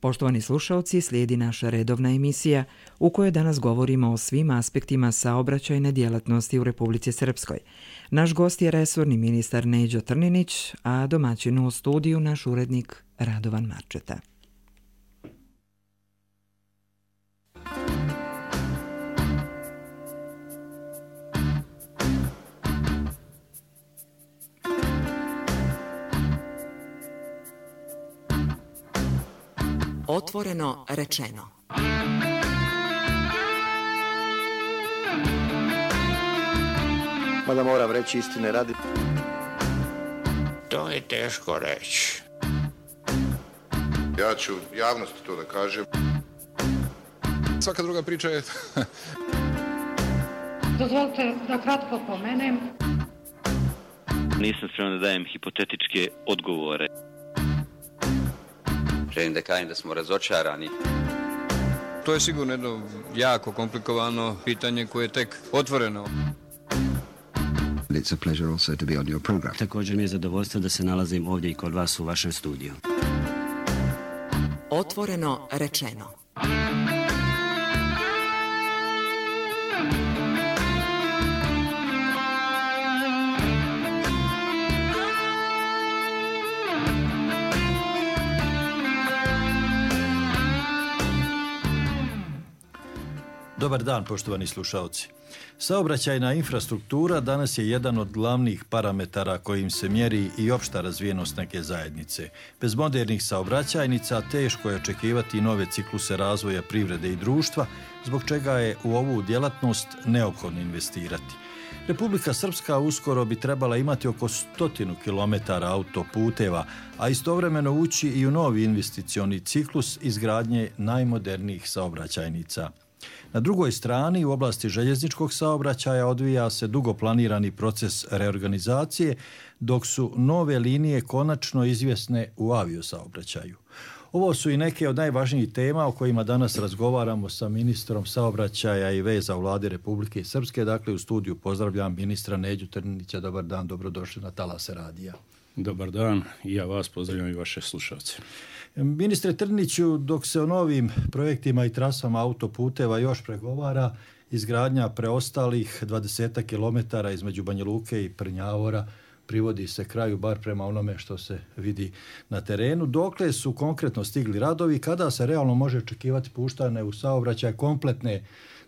Poštovani slušalci, slijedi naša redovna emisija u kojoj danas govorimo o svim aspektima saobraćajne djelatnosti u Republici Srpskoj. Naš gost je resorni ministar Neđo Trninić, a domaćin u studiju naš urednik Radovan Marčeta. Otvoreno rečeno. Mada moram reći istine radi. To je teško reći. Ja ću javnosti to da kažem. Svaka druga priča je... Dozvolite da kratko pomenem. Nisam spreman da dajem hipotetičke odgovore. Želim da kažem da smo razočarani. To je sigurno jedno jako komplikovano pitanje koje je tek otvoreno. It's a pleasure also to be on your program. Također mi je zadovoljstvo da se nalazim ovdje i kod vas u vašem studiju. Otvoreno rečeno. Dobar dan, poštovani slušalci. Saobraćajna infrastruktura danas je jedan od glavnih parametara kojim se mjeri i opšta razvijenost neke zajednice. Bez modernih saobraćajnica teško je očekivati nove cikluse razvoja privrede i društva, zbog čega je u ovu djelatnost neophodno investirati. Republika Srpska uskoro bi trebala imati oko 100 km autoputeva, a istovremeno ući i u novi investicioni ciklus izgradnje najmodernijih saobraćajnica. Na drugoj strani, u oblasti željezničkog saobraćaja odvija se dugo planirani proces reorganizacije, dok su nove linije konačno izvjesne u aviosaobraćaju. Ovo su i neke od najvažnijih tema o kojima danas razgovaramo sa ministrom saobraćaja i veza u Vladi Republike Srpske. Dakle, u studiju pozdravljam ministra Neđu Trninića. Dobar dan, dobrodošli na Talase radija. Dobar dan, i ja vas pozdravljam i vaše slušalce. Ministre Trniniću, dok se o novim projektima i trasama autoputeva još pregovara, izgradnja preostalih 20 km između Banja Luke i Prnjavora privodi se kraju, bar prema onome što se vidi na terenu. Dokle su konkretno stigli radovi, kada se realno može očekivati puštane u saobraćaj kompletne,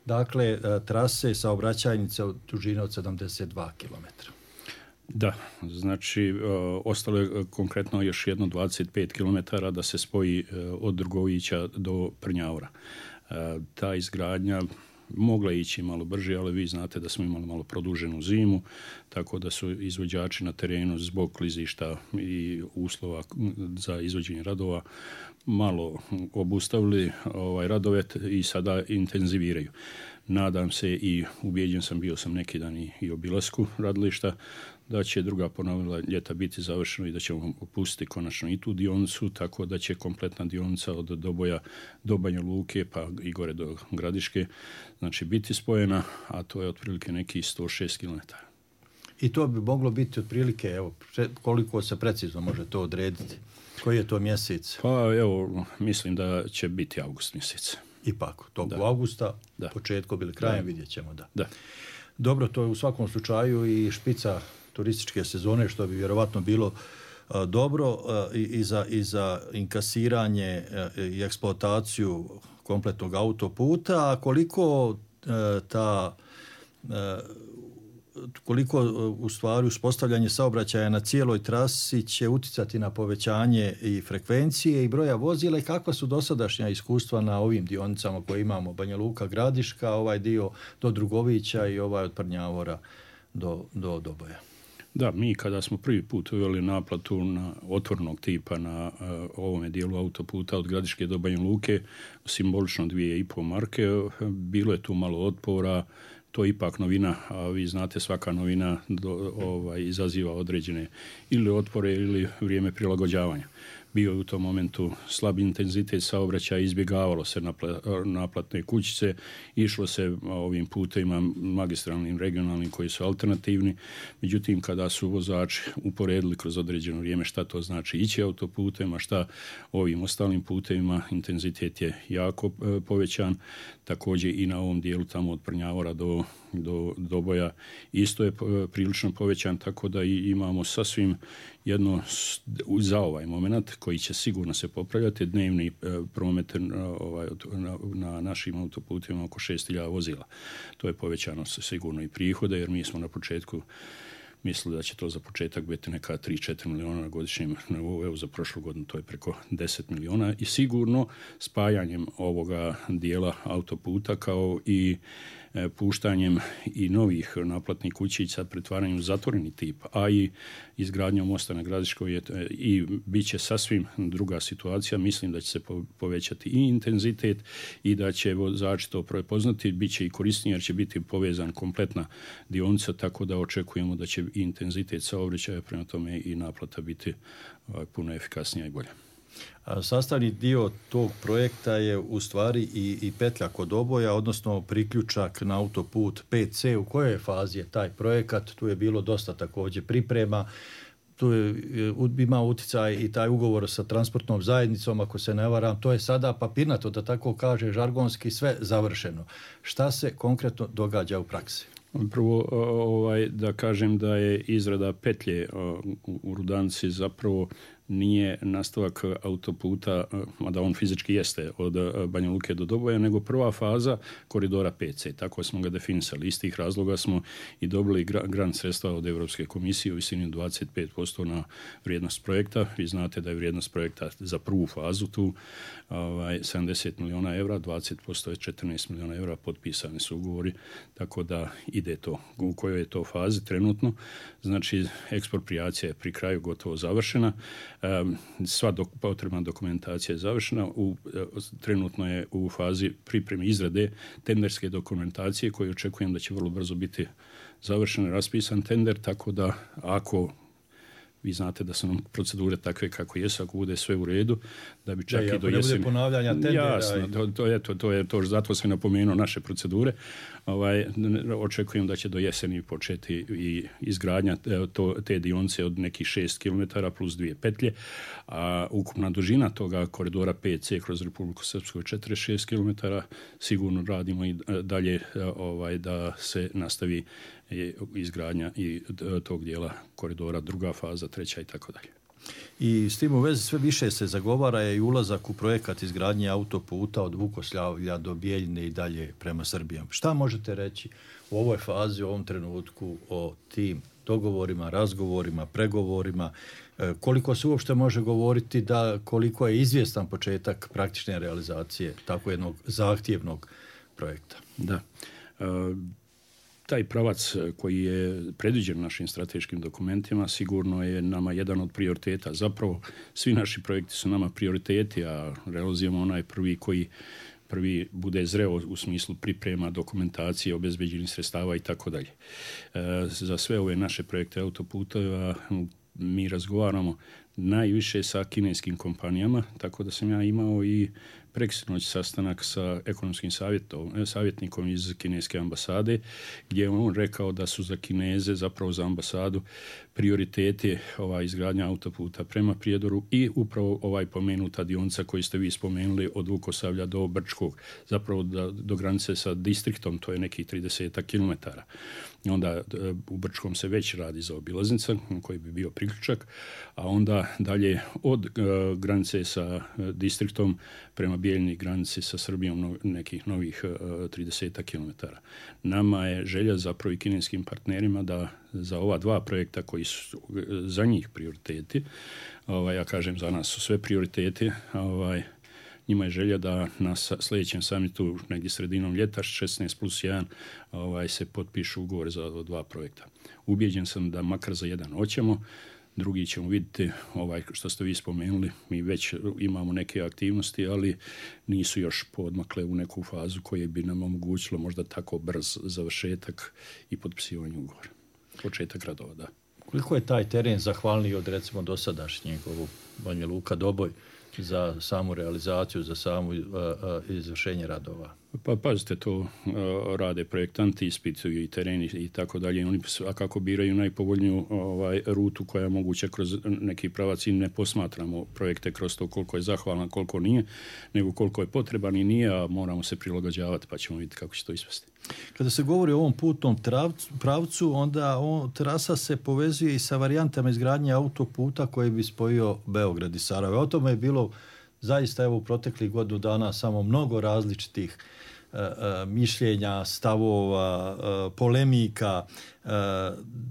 dakle, trase saobraćajnice od dužine od 72 km? Da, znači ostalo je konkretno još jedno 25 km da se spoji od Drugovića do Prnjavora. Ta izgradnja mogla ići malo brže, ali vi znate da smo imali malo produženu zimu, tako da su izvođači na terenu zbog klizišta i uslova za izvođenje radova malo obustavili radove i sada intenziviraju. Nadam se i ubijeđen sam, bio sam neki dan i obilasku radilišta, da će druga polovina ljeta biti završeno i da ćemo opustiti konačno i tu dionicu, tako da će kompletna dionica od Doboja do Banja Luke pa i gore do Gradiške, znači biti spojena, a to je otprilike neki 106 km. I to bi moglo biti otprilike, evo, koliko se precizno može to odrediti? Koji je to mjesec? Pa evo, mislim da će biti avgust mjesec. Ipak, tog augusta, početkom ili krajem, vidjet ćemo da. Dobro, to je u svakom slučaju i špica turističke sezone, što bi vjerovatno bilo dobro i za inkasiranje i eksploataciju kompletnog autoputa. A koliko u stvari uspostavljanje saobraćaja na cijeloj trasi će utjecati na povećanje i frekvencije i broja vozila i kakva su dosadašnja iskustva na ovim dionicama koje imamo, Banja Luka, Gradiška, ovaj dio do Drugovića i ovaj od Prnjavora do Doboja? Da, mi kada smo prvi put uveli naplatu na otvornog tipa na ovome dijelu autoputa od Gradiške do Banja Luke, simbolično 2,5 marke, bilo je tu malo otpora. To je ipak novina, a vi znate svaka novina izaziva određene ili otpore ili vrijeme prilagođavanja. bio je u tom momentu slab intenzitet saobraćaja, izbjegavalo se naplatne kućice, išlo se ovim putevima magistralnim, regionalnim koji su alternativni. Međutim, kada su vozači uporedili kroz određeno vrijeme šta to znači ići autoputem, a šta ovim ostalim putevima, intenzitet je jako povećan. Također i na ovom dijelu tamo od Prnjavora do Doboja isto je prilično povećan, tako da imamo sasvim jedno za ovaj moment koji će sigurno se popravljati, dnevni promet na našim autoputima oko 6.000 vozila. To je povećano sigurno i prihode, jer mi smo na početku mislili da će to za početak biti neka 3-4 milijuna na godišnjem nivou. Evo za prošlu godinu to je preko 10 milijuna i sigurno spajanjem ovoga dijela autoputa kao i puštanjem i novih naplatnih kućica, pretvaranjem u zatvoreni tip, a i izgradnjom mosta na Gradiškoj i bit će sasvim druga situacija. Mislim da će se povećati i intenzitet i da će vozači to prepoznati, bit će i korisnije jer će biti povezan kompletna dionica, tako da očekujemo da će i intenzitet saobraćaja, prema tome i naplata biti puno efikasnija i bolja. Sastavni dio tog projekta je u stvari i petlja kod Doboja, odnosno priključak na autoput 5C. U kojoj fazi je taj projekat? Tu je bilo dosta također priprema. Tu je ima utjecaj i taj ugovor sa transportnom zajednicom, ako se ne varam. To je sada papirnato, da tako kaže, žargonski sve završeno. Šta se konkretno događa u praksi? Prvo, da kažem da je izrada petlje u Rudanici zapravo nije nastavak autoputa, mada on fizički jeste od Banja Luke do Doboja, nego prva faza koridora 5C. Tako smo ga definisali. Iz tih razloga smo i dobili grant sredstva od Europske komisije u visini 25% na vrijednost projekta. Vi znate da je vrijednost projekta za prvu fazu tu 70 milijuna evra, 20% je 14 milijuna evra, potpisani su ugovori, tako da ide to. U kojoj je to fazi trenutno? Znači, eksproprijacija je pri kraju gotovo završena. Sva potrebna dokumentacija je završena. Trenutno je u fazi pripreme izrade tenderske dokumentacije koju očekujem da će vrlo brzo biti završen, raspisan tender, tako da ako vi znate da su nam procedure takve kako jesu, ako bude sve u redu, da bi čak i do jeseni... Ne bude ponavljanja tendera. Jasno, to je to, zato sam napomenuo naše procedure. Očekujem da će do jeseni početi i izgradnja te dionice od nekih 6 km plus 2 petlje, a ukupna dužina toga koridora 5C kroz Republiku Srpsku je 46 km. Sigurno radimo i dalje da se nastavi izgradnja i tog dijela koridora, druga faza, treća i tako dalje. I s tim u vezi sve više se zagovara je i ulazak u projekat izgradnje autoputa od Vukoslavlja do Bijeljine i dalje prema Srbiji. Šta možete reći u ovoj fazi, u ovom trenutku o tim dogovorima, razgovorima, pregovorima? Koliko se uopšte može govoriti da koliko je izvjestan početak praktične realizacije tako jednog zahtjevnog projekta? Da. Taj pravac koji je predviđen našim strateškim dokumentima sigurno je nama jedan od prioriteta. Zapravo svi naši projekti su nama prioriteti, a realizujemo onaj prvi bude zreo u smislu priprema, dokumentacije, obezbeđenih sredstava i tako dalje. Za sve ove naše projekte autoputeva mi razgovaramo najviše sa kineskim kompanijama, tako da sam ja imao i preksinoć sastanak sa ekonomskim savjetnikom iz kineske ambasade, gdje je on rekao da su za Kineze, zapravo za ambasadu, prioriteti izgradnja autoputa prema Prijedoru i upravo pomenuta dionica koju ste vi spomenuli od Vukosavlja do Brčkog, zapravo do granice sa distriktom, to je nekih 30 km. Onda u Brčkom se već radi za obilaznica koji bi bio priključak, a onda dalje od granice sa distriktom prema Bijeljini, granici sa Srbijom nekih novih 30 km. Nama je želja zapravo i kineskim partnerima da za ova dva projekta koji su za njih prioriteti, ja kažem za nas su sve prioriteti, njima je želja da na sljedećem samitu negdje sredinom ljeta 16+1 se potpišu ugovore za dva projekta. Ubijeđen sam da makar za jedan hoćemo, drugi ćemo vidjeti, što ste vi spomenuli, mi već imamo neke aktivnosti, ali nisu još poodmakle u neku fazu koje bi nam omogućilo možda tako brz završetak i potpisivanje ugovora. Početak radova, da. Koliko je taj teren zahvalniji od recimo dosadašnjeg ovog Banja Luka Doboj za samu realizaciju, za samu izvršenje radova? Pa pazite, to rade projektanti, ispituju i tereni i tako dalje. Oni svakako biraju najpovoljniju rutu koja je moguća kroz neki pravac i ne posmatramo projekte kroz to koliko je zahvalan, koliko nije, nego koliko je potreban i nije, a moramo se prilagođavati pa ćemo vidjeti kako će to ispasti. Kada se govori o ovom putnom pravcu, onda trasa se povezuje i sa varijantama izgradnje autoputa koji bi spojio Beograd i Sarajevo. O tome je bilo zaista u proteklih godinu dana samo mnogo različitih mišljenja, stavova, polemika.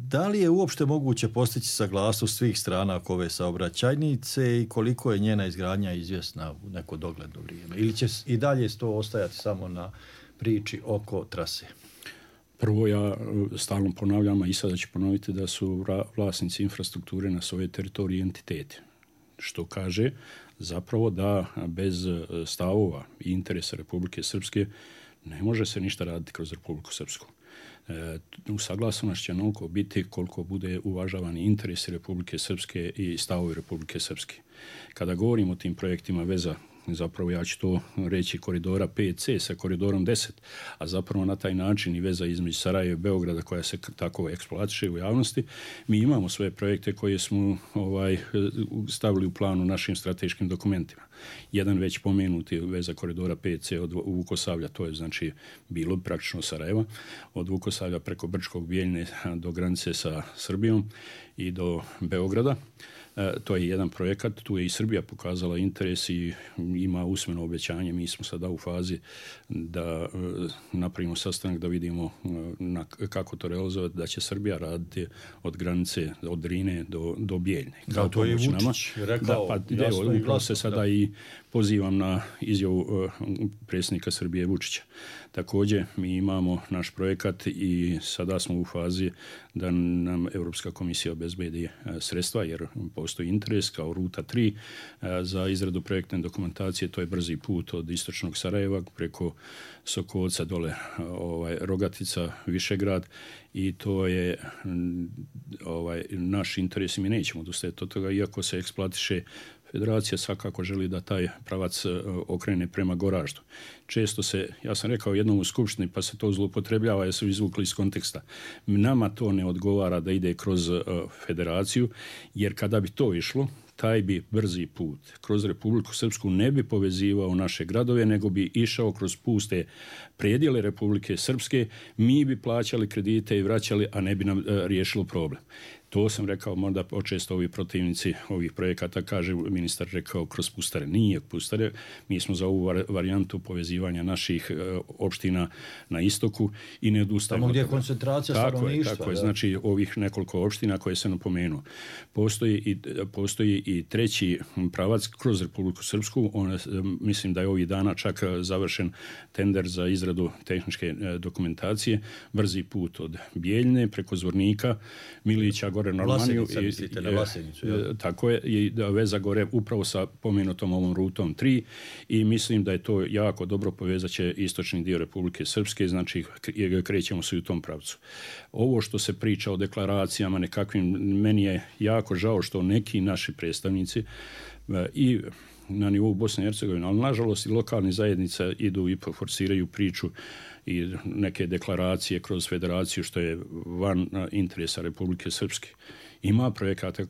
Da li je uopšte moguće postići saglasnost svih strana oko ove saobraćajnice i koliko je njena izgradnja izvjesna u neko dogledno vrijeme? Ili će i dalje to ostajati samo na priči oko trase? Prvo, ja stalno ponavljam, a i sada ću ponoviti da su vlasnici infrastrukture na svojoj teritoriji entiteti. Što kaže zapravo da bez stavova i interesa Republike Srpske ne može se ništa raditi kroz Republiku Srpsku. Usaglašenost će onoliko biti koliko bude uvažavani interesi Republike Srpske i stavovi Republike Srpske. Kada govorimo o tim projektima veza, zapravo ja ću to reći koridora 5C sa koridorom 10, a zapravo na taj način i veza između Sarajeva i Beograda koja se tako eksploatiše u javnosti, mi imamo svoje projekte koje smo stavili u planu našim strateškim dokumentima. Jedan već pomenuti veza koridora 5C od Vukosavlja, to je znači bilo praktično Sarajeva, od Vukosavlja preko Brčkog, Bijeljne do granice sa Srbijom i do Beograda. To je jedan projekat, tu je i Srbija pokazala interes i ima usmeno obećanje. Mi smo sada u fazi da napravimo sastanak da vidimo kako to realizovati, da će Srbija raditi od granice, od Drine do Bijeljne. Da, to je Vučić rekao. Upravo se sada i pozivam na izjavu predsjednika Srbije Vučića. Također mi imamo naš projekat i sada smo u fazi da nam Europska komisija obezbedi sredstva jer postoji interes kao ruta 3 za izradu projektne dokumentacije. To je brzi put od istočnog Sarajeva preko Sokolca dole Rogatica, Višegrad i to je naš interes i mi nećemo odustajati od toga iako se eksploatiše. Federacija svakako želi da taj pravac okrene prema Goraždu. Često se, ja sam rekao jednom u skupštini, pa se to zloupotrebljava jer su izvukli iz konteksta. Nama to ne odgovara da ide kroz federaciju, jer kada bi to išlo, taj bi brzi put kroz Republiku Srpsku ne bi povezivao naše gradove, nego bi išao kroz puste predjele Republike Srpske, mi bi plaćali kredite i vraćali, a ne bi nam riješilo problem. To sam rekao, možda počesto ovi protivnici ovih projekata, kaže ministar rekao kroz pustare. Nije pustare, mi smo za ovu varijantu povezivanja naših opština na istoku i ne odustajemo. Tamo gdje je koncentracija stanovništva. Tako je, znači ovih nekoliko opština koje se napomenuo. Postoji i treći pravac kroz Republiku Srpsku. Mislim da je ovih dana čak završen tender za izradu tehničke dokumentacije. Brzi put od Bijeljne preko Zvornika, Milića, gore na Almaniju. Tako je, i veza gore upravo sa pomenutom ovom rutom 3 i mislim da je to jako dobro povezat će istočni dio Republike Srpske, znači krećemo se u tom pravcu. Ovo što se priča o deklaracijama nekakvim, meni je jako žao što neki naši predstavnici i na nivou Bosne i Hercegovine, ali nažalost i lokalni zajednica idu i forsiraju priču i neke deklaracije kroz federaciju što je van interesa Republike Srpske. Ima projekata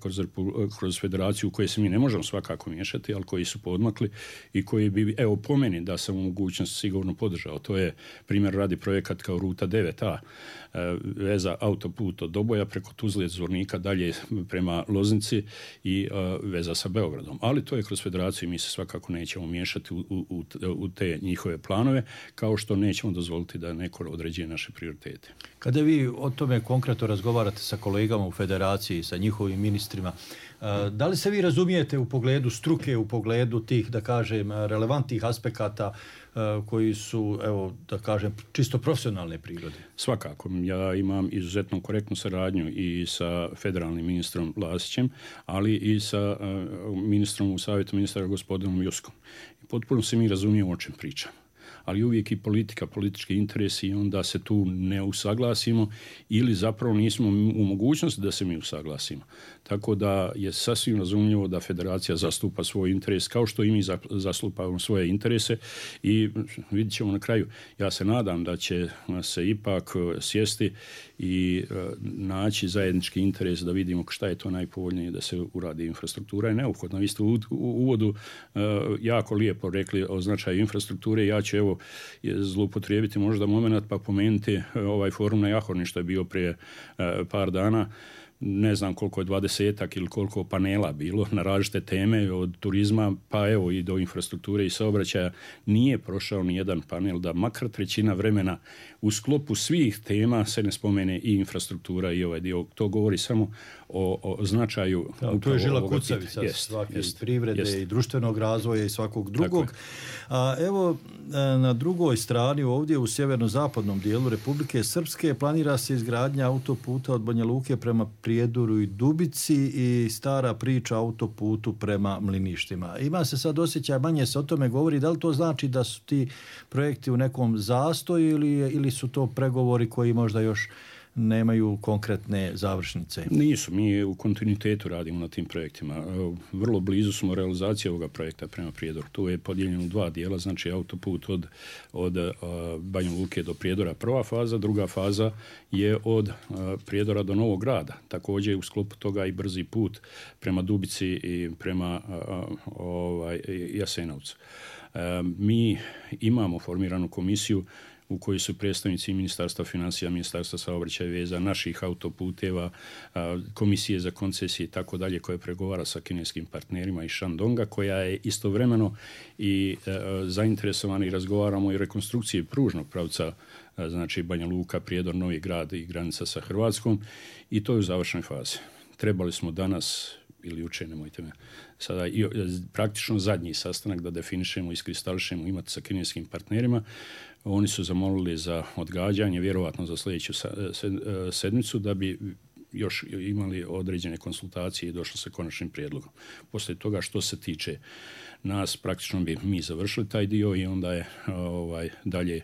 kroz federaciju u koje se mi ne možemo svakako miješati, ali koji su podmakli i koji bi, evo po meni da sam u mogućnosti sigurno podržao. To je primjer radi projekat kao ruta 9A, veza autoput od Doboja preko Tuzle, Zvornika dalje prema Loznici i veza sa Beogradom. Ali to je kroz federaciju i mi se svakako nećemo miješati u te njihove planove, kao što nećemo dozvoliti da neko određuje naše prioritete. Kada vi o tome konkretno razgovarate sa kolegama u federaciji, sa njihovim ministrima, da li se vi razumijete u pogledu struke, u pogledu tih, da kažem, relevantnih aspekata koji su, evo, da kažem, čisto profesionalne prirode? Svakako. Ja imam izuzetno korektnu saradnju i sa federalnim ministrom Lasićem, ali i sa ministrom u savjetu ministra gospodinom Juskom. Potpuno se mi razumijemo o čem pričamo. ali uvijek i politički interesi i onda se tu ne usaglasimo ili zapravo nismo u mogućnosti da se mi usaglasimo. Tako da je sasvim razumljivo da federacija zastupa svoj interes kao što i mi zastupamo svoje interese i vidjet ćemo na kraju. Ja se nadam da će se ipak sjesti i naći zajednički interes da vidimo šta je to najpovoljnije da se uradi. Infrastruktura je neophodna. Vi ste u uvodu jako lijepo rekli o značaju infrastrukture. Ja ću evo zloupotrijebiti možda moment pa pomenuti ovaj forum na Jahorni što je bio prije par dana. Ne znam koliko je 20-ak ili koliko panela bilo na različite teme od turizma pa evo i do infrastrukture i saobraćaja. Nije prošao ni jedan panel da makar trećina vremena u sklopu svih tema se ne spomene i infrastruktura i ovaj dio. To govori samo o značaju. To je žila kucavica svake privrede i društvenog razvoja i svakog drugog. A evo na drugoj strani ovdje u sjeverno-zapadnom dijelu Republike Srpske planira se izgradnja autoputa od Banja Luke prema Prijedoru i Dubici i stara priča autoputu prema Mliništima. Ima se sad osjećaj, manje se o tome govori, da li to znači da su ti projekti u nekom zastoju ili su to pregovori koji možda još nemaju konkretne završnice? Nisu, mi u kontinuitetu radimo na tim projektima. Vrlo blizu smo realizacije ovoga projekta prema Prijedoru. Tu je podijeljeno u dva dijela, znači autoput od Banja Luke do Prijedora prva faza, druga faza je od Prijedora do Novog Grada. Također u sklopu toga i brzi put prema Dubici i prema Jasenovcu. Mi imamo formiranu komisiju u kojoj su predstavnici Ministarstva financija, Ministarstva saobraćaja i veza, naših autoputeva, komisije za koncesije i tako dalje, koja pregovara sa kineskim partnerima iz Shandonga, koja je istovremeno i zainteresovana i razgovaramo i rekonstrukcije pružnog pravca, znači Banja Luka, Prijedor, Novi Grad i granica sa Hrvatskom i to je u završnoj fazi. Trebali smo danas ili jučer, nemojte me sada, praktično zadnji sastanak da definišemo, iskristališemo, imati sa kineskim partnerima. Oni su zamolili za odgađanje, vjerovatno za sljedeću sedmicu, da bi još imali određene konsultacije i došli sa konačnim prijedlogom. Poslije toga što se tiče nas, praktično bi mi završili taj dio i onda je dalje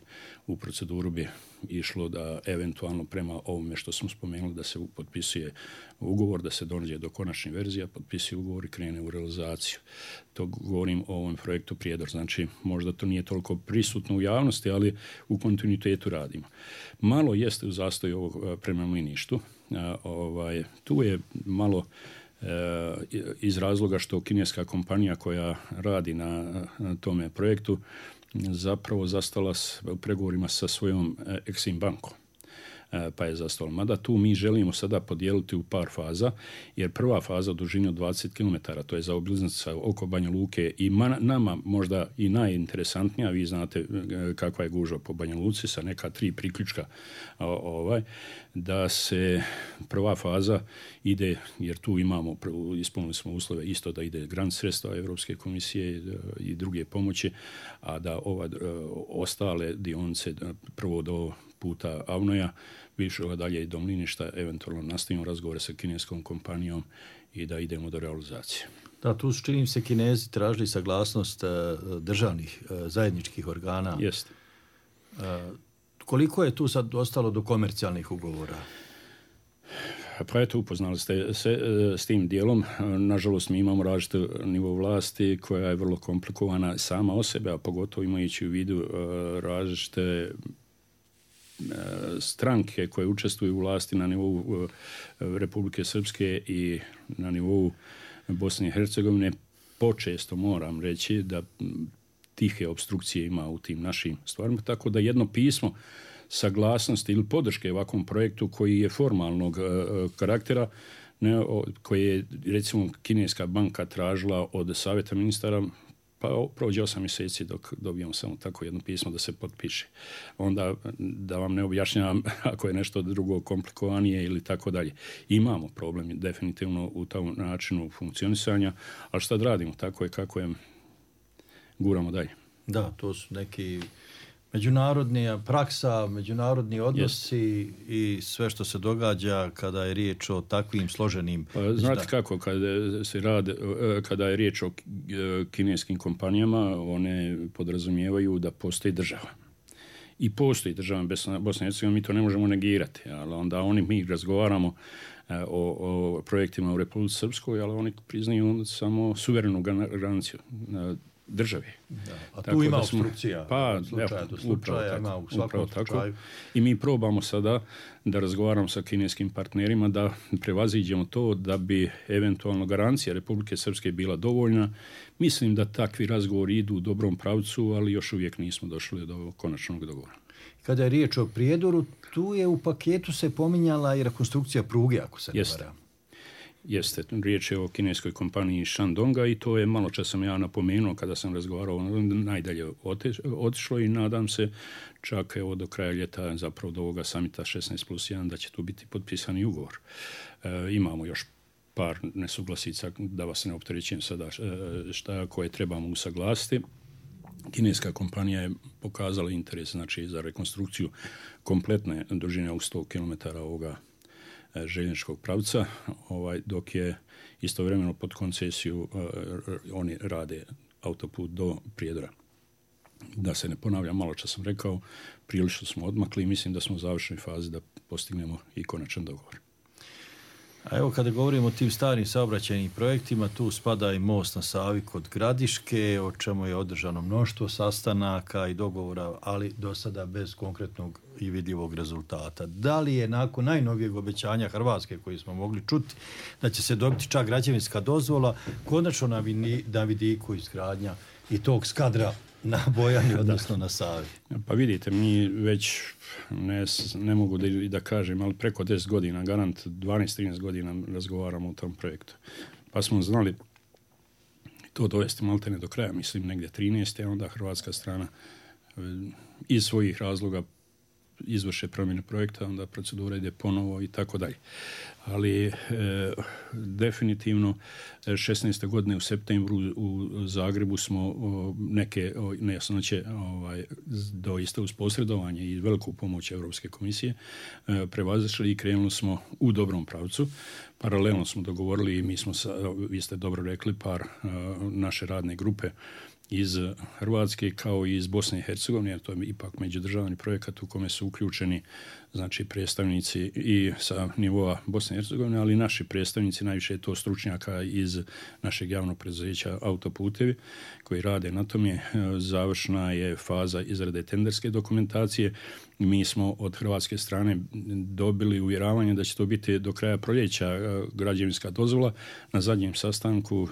u proceduru bi išlo da eventualno prema ovome što smo spomenuli da se potpisuje ugovor, da se dođe do konačne verzije, potpisuje ugovor i krene u realizaciju. To govorim o ovom projektu Prijedor. Znači, možda to nije toliko prisutno u javnosti, ali u kontinuitetu radimo. Malo jeste u zastoju ovog prema Mliništu. Tu je malo iz razloga što kineska kompanija koja radi na tome projektu zapravo zastala u pregovorima sa svojom Exim bankom. Pa je zastalo. Mada tu mi želimo sada podijeliti u par faza, jer prva faza u dužini od 20 km, to je zaobilaznica oko Banja Luke i nama možda i najinteresantnija, vi znate kakva je gužva po Banja Luci sa neka 3 priključka, da se prva faza ide, jer tu imamo, ispunili smo uslove isto da ide grant sredstva Europske komisije i druge pomoći, a da ostale dionice prvo do puta Avnoja, više dalje i do Mliništa, eventualno nastavimo razgovore sa kineskom kompanijom i da idemo do realizacije. Da, tu su, čini se, Kinezi tražili saglasnost državnih zajedničkih organa. Jeste. Koliko je tu sad ostalo do komercijalnih ugovora? Pa eto, upoznali ste se s tim dijelom. Nažalost, mi imamo različiti nivo vlasti koja je vrlo komplikovana sama o sebe, a pogotovo imajući u vidu različite stranke koje učestvuju u vlasti na nivou Republike Srpske i na nivou Bosne i Hercegovine. Počesto moram reći da tihe opstrukcije ima u tim našim stvarima, tako da jedno pismo saglasnosti ili podrške ovakvom projektu koji je formalnog karaktera, koji je recimo kineska banka tražila od savjeta ministara, pa prođe 8 mjeseci dok dobijemo samo tako jedno pismo da se potpiše. Onda da vam ne objašnjavam ako je nešto drugo komplikovanije ili tako dalje. Imamo problem definitivno u tom načinu funkcionisanja, ali šta radimo, tako je kako je, guramo dalje. Da, to su neki međunarodna praksa, međunarodni odnosi i sve što se događa kada je riječ o takvim složenim... Znate kako, kada je riječ o kineskim kompanijama, one podrazumijevaju da postoji država. I postoji država Bosna i Hercegovina, mi to ne možemo negirati, ali onda mi razgovaramo o projektima u Republici Srpskoj, ali oni priznaju samo suverenu granicu države. A tu ima obstrukcija. Slučaja ima u svakom slučaju. I mi probamo sada da razgovaramo sa kineskim partnerima da prevaziđemo to da bi eventualno garancija Republike Srpske bila dovoljna. Mislim da takvi razgovori idu u dobrom pravcu, ali još uvijek nismo došli do konačnog dogovora. Kada je riječ o Prijedoru, tu je u paketu se pominjala i rekonstrukcija pruge, ako se ne varam. Jeste, riječ je o kineskoj kompaniji Shandonga i to je malo čas sam ja napomenuo kada sam razgovarao, najdalje otišlo i nadam se čak evo do kraja ljeta, zapravo do ovoga samita 16+1 da će tu biti potpisani ugovor. Imamo još par nesuglasica, da vas ne opterećujem sada koje trebamo usaglasiti. Kineska kompanija je pokazala interes znači, za rekonstrukciju kompletne dužine u 100 km ovoga željezničkog pravca, dok je istovremeno pod koncesiju oni rade autoput do Prijedora. Da se ne ponavljam, malo čas sam rekao, prilično smo odmakli i mislim da smo u završnoj fazi da postignemo i konačan dogovor. A evo kada govorimo o tim starim saobraćajnim projektima, tu spada i most na Savi kod Gradiške, o čemu je održano mnoštvo sastanaka i dogovora, ali do sada bez konkretnog i vidljivog rezultata. Da li je nakon najnovijeg obećanja Hrvatske koji smo mogli čuti da će se dobiti čak građevinska dozvola, konačno na vidiku izgradnja i tog skadra na Bojani, odnosno na Savi? Pa vidite, mi već ne mogu da kažem, ali preko 10 godina, garant 12-13 godina razgovaramo o tom projektu. Pa smo znali to dovesti maltene do kraja, mislim negdje 13. a onda hrvatska strana iz svojih razloga izvrše promjene projekta, onda procedura ide ponovo i tako dalje. Ali definitivno 16. godine u septembru u Zagrebu smo neke nejasnoće doista uz posredovanje i veliku pomoć Europske komisije prevazišli i krenuli smo u dobrom pravcu. Paralelno smo dogovorili i mi smo, vi ste dobro rekli, par naše radne grupe iz Hrvatske kao i iz Bosne i Hercegovine, jer to je ipak međudržavni projekat u kome su uključeni znači predstavnici i sa nivoa Bosne i Hercegovine, ali i naši predstavnici, najviše je to stručnjaka iz našeg javnog preduzeća Autoputevi koji rade na tome. Završna je faza izrade tenderske dokumentacije. Mi smo od hrvatske strane dobili uvjeravanje da će to biti do kraja proljeća građevinska dozvola. Na zadnjem sastanku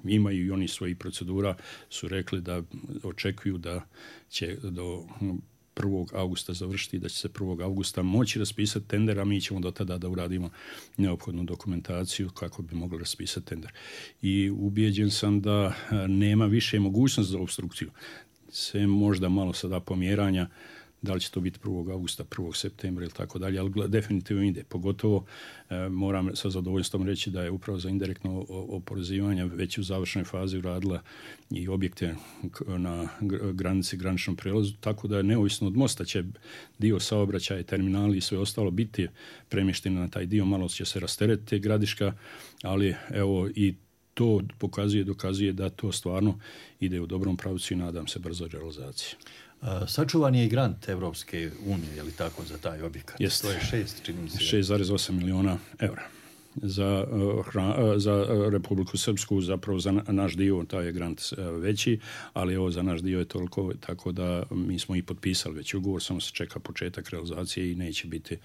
imaju i oni svojih procedura, su rekli da očekuju da će do 1. augusta završiti, da će se 1. augusta moći raspisati tender, a mi ćemo do tada da uradimo neophodnu dokumentaciju kako bi mogli raspisati tender. I ubijeđen sam da nema više mogućnost za obstrukciju. Sve možda malo sada pomjeranja, da li će to biti 1. augusta, 1. septembra ili tako dalje, ali definitivno ide. Pogotovo moram sa zadovoljstvom reći da je upravo za indirektno oporezivanje već u završnoj fazi uradila i objekte na granici, graničnom prelazu, tako da je neovisno od mosta će dio saobraćaja, terminali i sve ostalo biti premješteno na taj dio, malo će se rasteretiti Gradiška, ali evo i to dokazuje da to stvarno ide u dobrom pravcu i nadam se brzo realizaciji. Sačuvan je i grant Evropske unije, je li tako, za taj objekat? Jest. To je 6,8 milijuna eura. Za Republiku Srpsku, zapravo za naš dio, taj je grant veći, ali ovo za naš dio je toliko, tako da mi smo i potpisali već ugovor, samo se čeka početak realizacije i neće biti,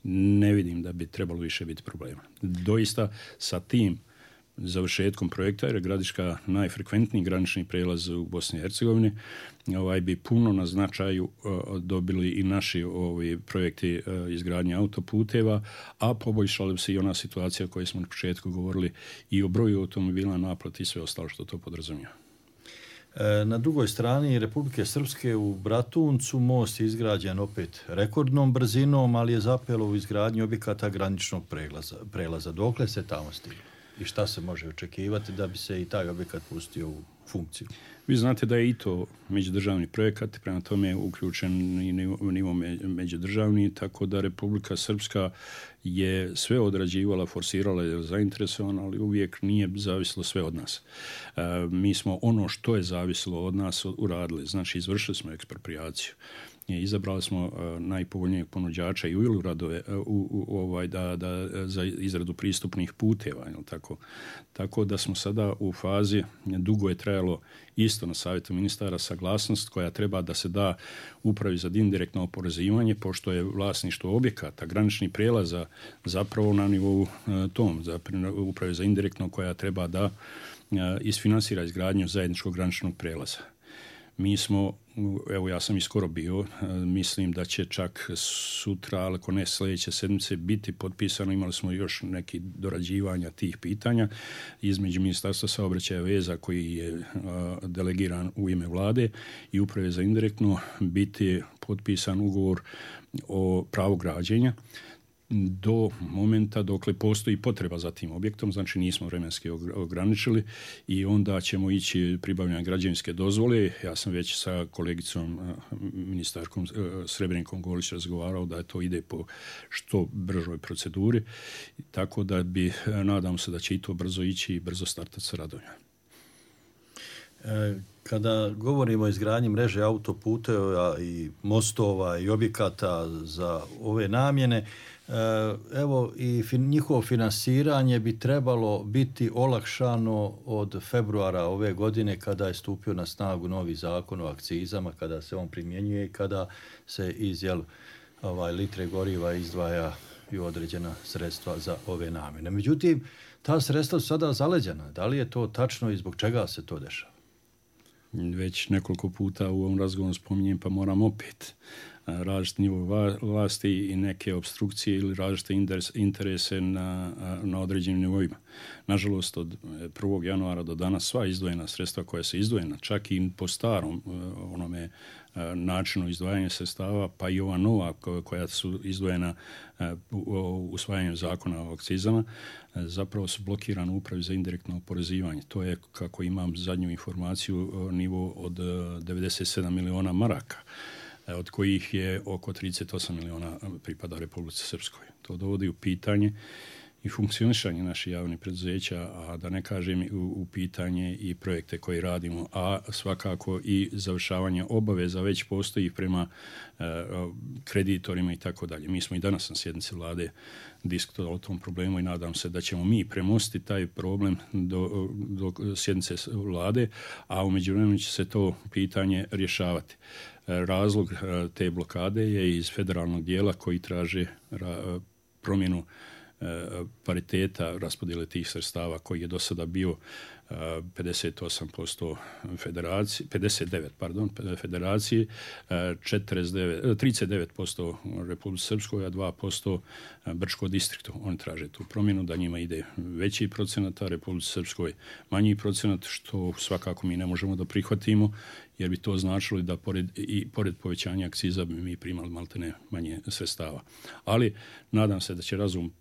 ne vidim da bi trebalo više biti problema. Doista sa tim završetkom projekta, jer je Gradiška najfrekventniji granični prijelaz u Bosni i Hercegovini, bi puno na značaju dobili i naši projekti izgradnje autoputeva, a poboljšala bi se i ona situacija o kojoj smo na početku govorili i o broju automobila, naplati i sve ostalo što to podrazumijeva. Na drugoj strani Republike Srpske u Bratuncu most je izgrađen opet rekordnom brzinom, ali je zapelo u izgradnji objekata graničnog prelaza. Dokle se tamo stiglo? i šta se može očekivati da bi se i taj objekat pustio u funkciju? Vi znate da je i to međudržavni projekat, prema tome je uključen i nivo međudržavni, tako da Republika Srpska je sve odrađivala, forsirala, je zainteresovana, ali uvijek nije zavisilo sve od nas. Mi smo ono što je zavisilo od nas uradili, znači izvršili smo ekspropriaciju. Izabrali smo najpovoljnijeg ponuđača i uveli radove za izradu pristupnih puteva. Tako da smo sada u fazi, dugo je trajalo isto na savjetu ministara saglasnost koja treba da se da upravi za indirektno oporezivanje, pošto je vlasništvo objekata, granični prijelaza zapravo na nivou tom, upravi za indirektno koja treba da isfinansira izgradnju zajedničkog graničnog prijelaza. Mi smo, evo ja sam i skoro bio, mislim da će čak sutra, ako ne sljedeće sedmice, biti potpisano. Imali smo još neki dorađivanja tih pitanja između Ministarstva saobraćaja i veza koji je delegiran u ime vlade i uprave za indirektno biti potpisan ugovor o pravu građenja do momenta dokle postoji potreba za tim objektom, znači nismo vremenski ograničili i onda ćemo ići pribavljanje građevinske dozvole. Ja sam već sa kolegicom ministarkom Srebrenkom Golić razgovarao da to ide po što bržoj proceduri, tako da nadam se da će i to brzo ići i brzo startati sa radovima. Kada govorimo o izgradnji mreže autoputeva i mostova i objekata za ove namjene, evo i njihovo finansiranje bi trebalo biti olakšano od februara ove godine kada je stupio na snagu novi zakon o akcizama, kada se on primjenjuje i kada se iz litre goriva izdvaja i određena sredstva za ove namjene. Međutim, ta sredstva su sada zaleđena. Da li je to tačno i zbog čega se to dešava? Već nekoliko puta u ovom razgovoru spominjem, pa moram opet. Različite nivo vlasti i neke obstrukcije ili različite interese na određenim nivoima. Nažalost, od 1. januara do danas sva izdvojena sredstva koja se izdvojena, čak i po starom onome načinu izdvajanja sredstava, pa i ova nova koja su izdvojena usvajanjem zakona o akcizama, zapravo su blokirane u upravi za indirektno oporezivanje. To je, kako imam zadnju informaciju, nivo od 97 miliona maraka, od kojih je oko 38 miliona pripada Republici Srpskoj. To dovodi u pitanje i funkcionisanje naših javnih preduzeća, a da ne kažem u pitanje i projekte koje radimo, a svakako i završavanje obaveza već postoji prema kreditorima i tako dalje. Mi smo i danas na sjednici vlade diskutovali o tom problemu i nadam se da ćemo mi premostiti taj problem do sjednice vlade, a u međuvremenu će se to pitanje rješavati. Razlog te blokade je iz federalnog dijela koji traže promjenu pariteta raspodjele tih sredstava koji je do sada bio 58% federaciji, 39% Republici Srpskoj, a 2% Brčkom distriktu. Oni traže tu promjenu da njima ide veći procenat, a Republici Srpskoj manji procenat, što svakako mi ne možemo da prihvatimo, jer bi to značilo da pored povećanja akciza bi mi primali maltene manje sredstava. Ali nadam se da će razum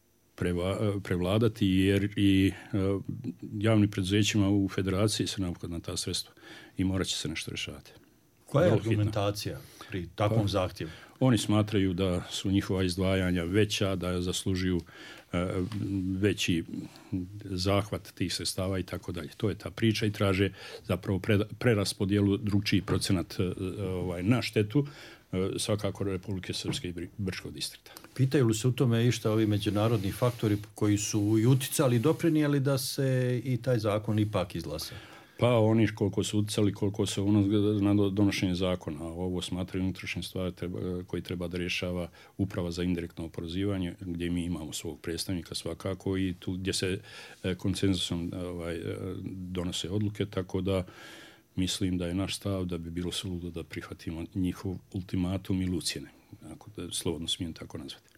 prevladati, jer i javnim preduzećima u federaciji se neophodna ta sredstva i morat će se nešto rješavati. Koja je argumentacija pri takvom zahtjevu? Oni smatraju da su njihova izdvajanja veća, da zaslužuju veći zahvat tih sredstava i tako dalje. To je ta priča i traže zapravo preraspodjelu drugčiji procenat na štetu svakako Republike Srpske i Brčkog distrikta. Pitaju li se u tome išta ovi međunarodni faktori koji su i uticali i doprinijeli da se i taj zakon ipak izglasa? Pa oni koliko su utjecali, koliko se na donošenje zakona. Ovo smatraju unutrašnje stvari koji treba da rješava uprava za indirektno oporezivanje, gdje mi imamo svog predstavnika svakako i tu gdje se konsenzusom donose odluke, tako da mislim da je naš stav da bi bilo suludo da prihvatimo njihov ultimatum ili ucjene, ako da slobodno smijem tako nazvati.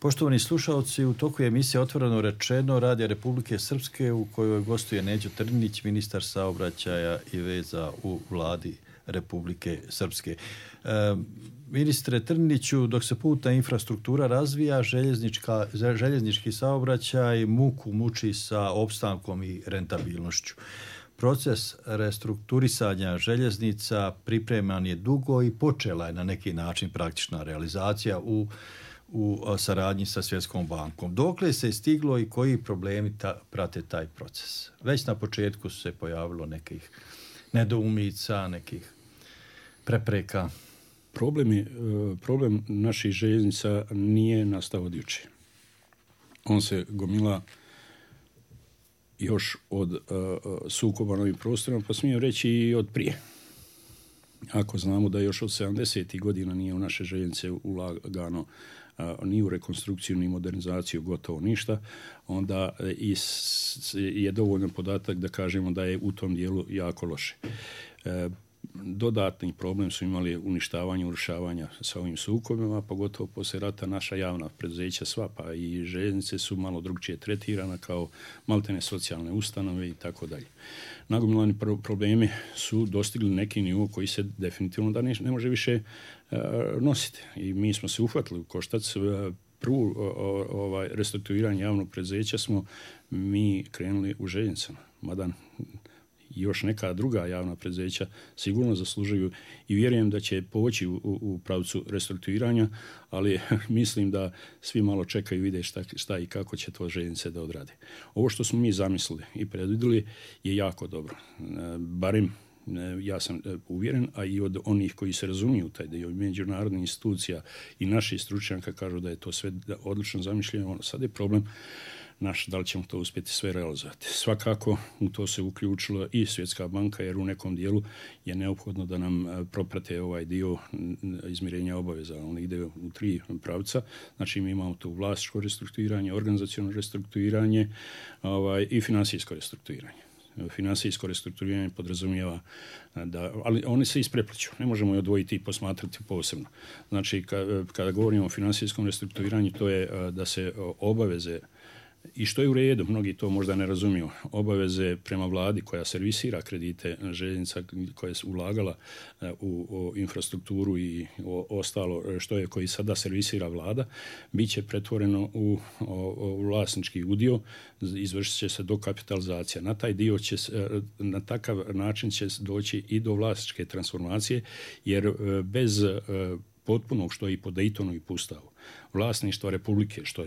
Poštovani slušalci, u toku je emisija Otvoreno rečeno Radija Republike Srpske u kojoj gostuje Neđo Trninić, ministar saobraćaja i veza u vladi Republike Srpske. Ministre Trniniću, dok se putna infrastruktura razvija, željeznički saobraćaj muku muči sa opstankom i rentabilnošću. Proces restrukturisanja željeznica pripreman je dugo i počela je na neki način praktična realizacija u saradnji sa Svjetskom bankom. Dokle se je stiglo i koji problemi prate taj proces? Već na početku su se pojavilo nekih nedoumica, nekih prepreka. Problem naših željeznica nije nastao od jučer. On se gomila još od sukoba na ovim prostorima, pa smijem reći i od prije. Ako znamo da još od 70. godina nije u naše željeznice ulagano ni u rekonstrukciju, ni modernizaciju, gotovo ništa, onda je dovoljan podatak da kažemo da je u tom dijelu jako loše. Dodatni problem su imali uništavanje, urušavanja sa ovim sukobima, pogotovo poslije rata naša javna preduzeća sva, pa i željeznice su malo drugčije tretirana kao maltene socijalne ustanove i tako dalje. Nagomilani problemi su dostigli neki nivo koji se definitivno da ne može više nositi. I mi smo se uhvatili u koštac. Prvu restrukturiranje javnog preduzeća smo mi krenuli u željeznicama. Mada još neka druga javna preduzeća sigurno zaslužuju i vjerujem da će poći u pravcu restrukturiranja, ali mislim da svi malo čekaju i vide šta i kako će to željeznice da odrade. Ovo što smo mi zamislili i predvidjeli je jako dobro. Barem ja sam uvjeren, a i od onih koji se razumiju taj dio međunarodnih institucija i naših stručnjaka kažu da je to sve odlično zamišljeno. Sad je problem naš, da li ćemo to uspjeti sve realizovati. Svakako u to se uključila i Svjetska banka, jer u nekom dijelu je neophodno da nam proprate ovaj dio izmirenja obaveza. On ide u 3 pravca. Znači mi imamo to vlasničko restrukturiranje, organizaciono restrukturiranje i financijsko restrukturiranje. Financijsko restrukturiranje podrazumijeva ali oni se isprepliću. Ne možemo je odvojiti i posmatrati posebno. Znači kada govorimo o financijskom restrukturiranju, to je da se obaveze, i što je u redu, mnogi to možda ne razumiju, obaveze prema vladi koja servisira kredite željeznica koja je ulagala u infrastrukturu i ostalo koji sada servisira vlada, bit će pretvoreno u vlasnički udio, izvršit će se dokapitalizacija. Na taj dio na takav način će doći i do vlasničke transformacije, jer bez potpunog, što je i po Daytonu i po Ustavu, vlasništva Republike, što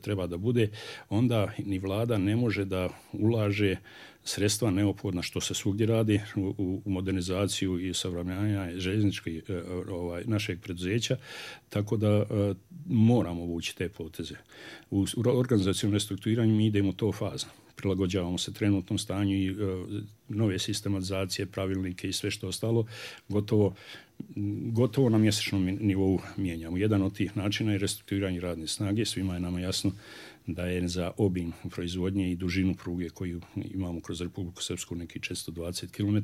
treba da bude, onda ni vlada ne može da ulaže sredstva neophodna, što se svugdje radi, u modernizaciju i savremenjanje željezničkih našeg preduzeća, tako da moramo vući te poteze. U organizacijom restrukturiranju mi idemo to fazno. Prilagođavamo se trenutnom stanju i nove sistematizacije, pravilnike i sve što ostalo, gotovo na mjesečnom nivou mijenjamo. Jedan od tih načina je restrukturiranje radne snage. Svima je nama jasno da je za obim proizvodnje i dužinu pruge koju imamo kroz Republiku Srpsku neki 420 km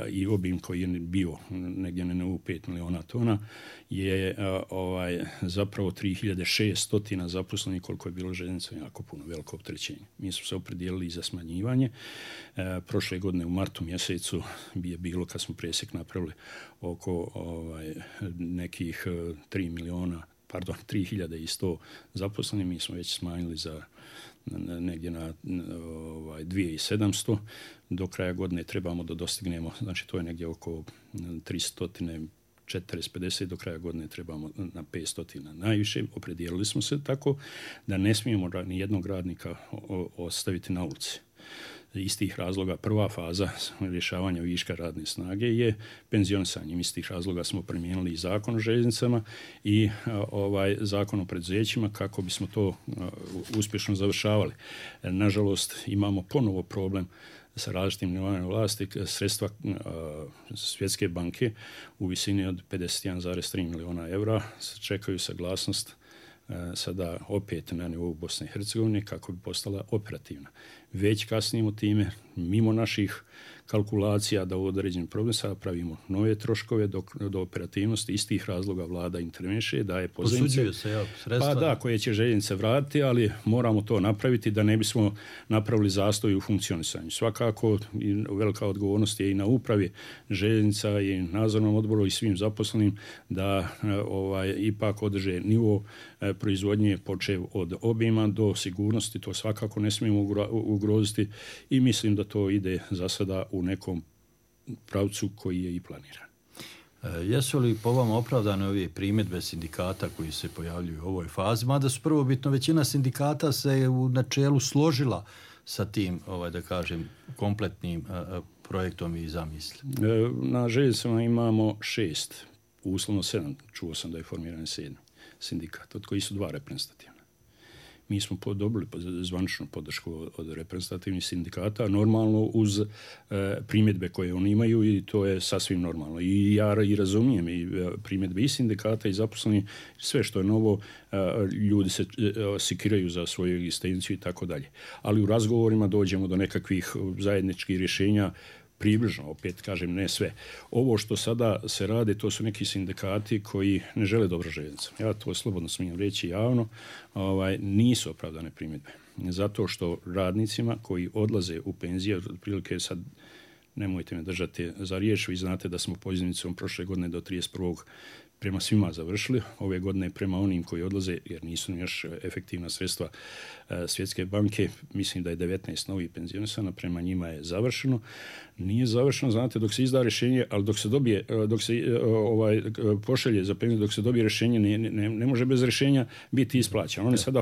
i obim koji je bio negdje na nivou 5 miliona tona je zapravo 3600 zaposlenih, koliko je bilo željeznica, jako puno, veliko opterećenje. Mi smo se opredijelili za smanjivanje. Prošle godine u martu mjesecu je bilo, kad smo presjek napravili, oko nekih 3100 zaposlenih, mi smo već smanjili za negdje na 2700. Do kraja godine trebamo da dostignemo, znači to je negdje oko 340-50, do kraja godine trebamo na 500 najviše. Opredijelili smo se tako da ne smijemo ni jednog radnika ostaviti na ulici. Iz tih razloga prva faza rješavanja viška radne snage je penzionisanje. Iz tih razloga smo primijenili i zakon o željeznicama i zakon o preduzećima kako bismo to uspješno završavali. Nažalost, imamo ponovo problem sa različitim nivoima vlasti. Sredstva Svjetske banke u visini od 51,3 miliona eura čekaju saglasnost sada opet na nivou Bosne i Hercegovine kako bi postala operativna. Već kasnimo time, mimo naših kalkulacija da u određenim problemima pravimo nove troškove do operativnosti istih razloga vlada interveniše, daje pozajmice. Sredstva. Pa da, koje će željeznice vratiti, ali moramo to napraviti da ne bismo napravili zastoj u funkcionisanju. Svakako velika odgovornost je i na upravi željeznica i nadzornom odboru i svim zaposlenim da ipak održe nivo proizvodnje počev od obima do sigurnosti, to svakako ne smijemo ugroziti i mislim da to ide za sada u nekom pravcu koji je i planiran. Jesu li po vama opravdane ove primjedbe sindikata koji se pojavljuju u ovoj fazi, mada su prvobitno većina sindikata se u načelu složila sa tim, da kažem, kompletnim projektom i zamisli? Na željeznicama imamo 6, uslovno 7, čuo sam da je formiran 7 sindikat, od kojih su 2 reprezentativna. Mi smo dobili zvaničnu podršku od reprezentativnih sindikata, normalno uz primjedbe koje oni imaju i to je sasvim normalno. I ja i razumijem i primjedbe i sindikata i zaposleni, sve što je novo, ljudi se sikiraju za svoju egzistenciju i tako dalje. Ali u razgovorima dođemo do nekakvih zajedničkih rješenja, približno, opet kažem, ne sve. Ovo što sada se radi, to su neki sindikati koji ne žele dobro željeznicom. Ja to slobodno smijem reći javno, nisu opravdane primjedbe. Zato što radnicima koji odlaze u penziju, otprilike sad nemojte me držati za riječ, vi znate da smo pozivnicom prošle godine do 31. prema svima završili, ove godine prema onim koji odlaze, jer nisu još efektivna sredstva Svjetske banke, mislim da je 19 novih penzionisana, prema njima je završeno. Nije završeno, znate, dok se izda rješenje, ali dok se pošalje za penziju, dok se dobije rješenje, ne može bez rješenja biti isplaćeno. Oni sada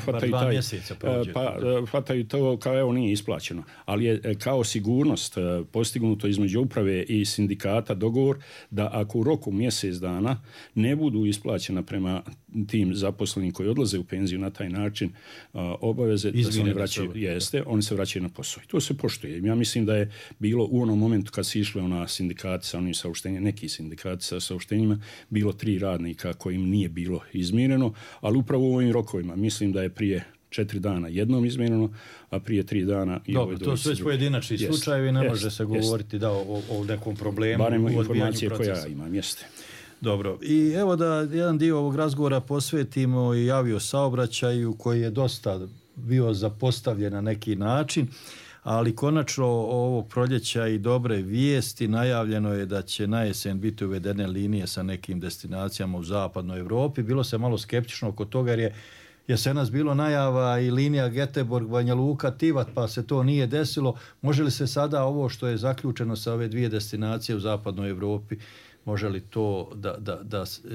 hvataju to kao evo nije isplaćeno, ali je kao sigurnost postignuto između uprave i sindikata dogovor da ako u roku mjesec dana ne budu isplaćena prema tim zaposlenim koji odlaze u penziju na taj način obaveze da se oni vraćaju, oni se vraćaju na posao. I to se poštuje. Ja mislim da je bilo u onom momentu kad se išle na sindikati sa onim saopštenjima, neki sindikati sa saopštenjima, bilo 3 radnika kojim nije bilo izmireno, ali upravo u ovim rokovima mislim da je prije 4 dana jednom izmjereno, a prije 3 dana i dobro, to su već pojedinačni slučajevi, ne može se govoriti da o nekom problemu. Barem informacije koje ja imam, jeste. Dobro, i evo da jedan dio ovog razgovora posvetimo i aviosaobraćaju koji je dosta bio zapostavljen na neki način, ali konačno ovog proljeća i dobre vijesti, najavljeno je da će na jesen biti uvedene linije sa nekim destinacijama u zapadnoj Europi. Bilo se malo skeptično oko toga jer je jesenas bilo najava i linija Göteborg, Banja Luka, Tivat, pa se to nije desilo. Može li se sada ovo što je zaključeno sa ove 2 destinacije u zapadnoj Europi, može li to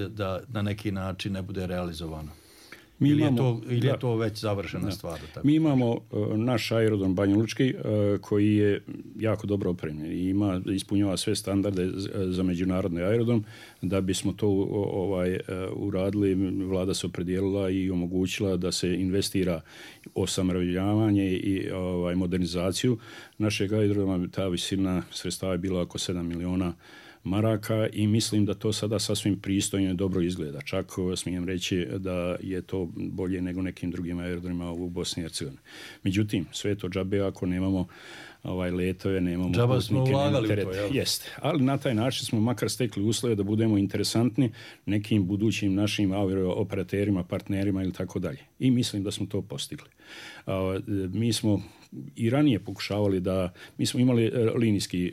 da na neki način ne bude realizovano? Ili je to već završena stvar? Mi imamo naš aerodrom Banjalučki koji je jako dobro opremljen i ispunjava sve standarde za međunarodni aerodrom. Da bismo to uradili, vlada se opredijelila i omogućila da se investira osamravljavanje i modernizaciju našeg aerodroma. Ta visina sredstava je bila oko 7 miliona maraka i mislim da to sada sasvim pristojno i dobro izgleda. Čak smijem reći da je to bolje nego nekim drugim aerodromima u Bosni i Hercegovini. Međutim, sve to džabe ako nemamo letove, nemamo džaba smo ulagali u to, jel? Jeste. Ali na taj način smo makar stekli uslove da budemo interesantni nekim budućim našim operaterima, partnerima ili tako dalje. I mislim da smo to postigli. Mi smo i ranije pokušavali mi smo imali linijski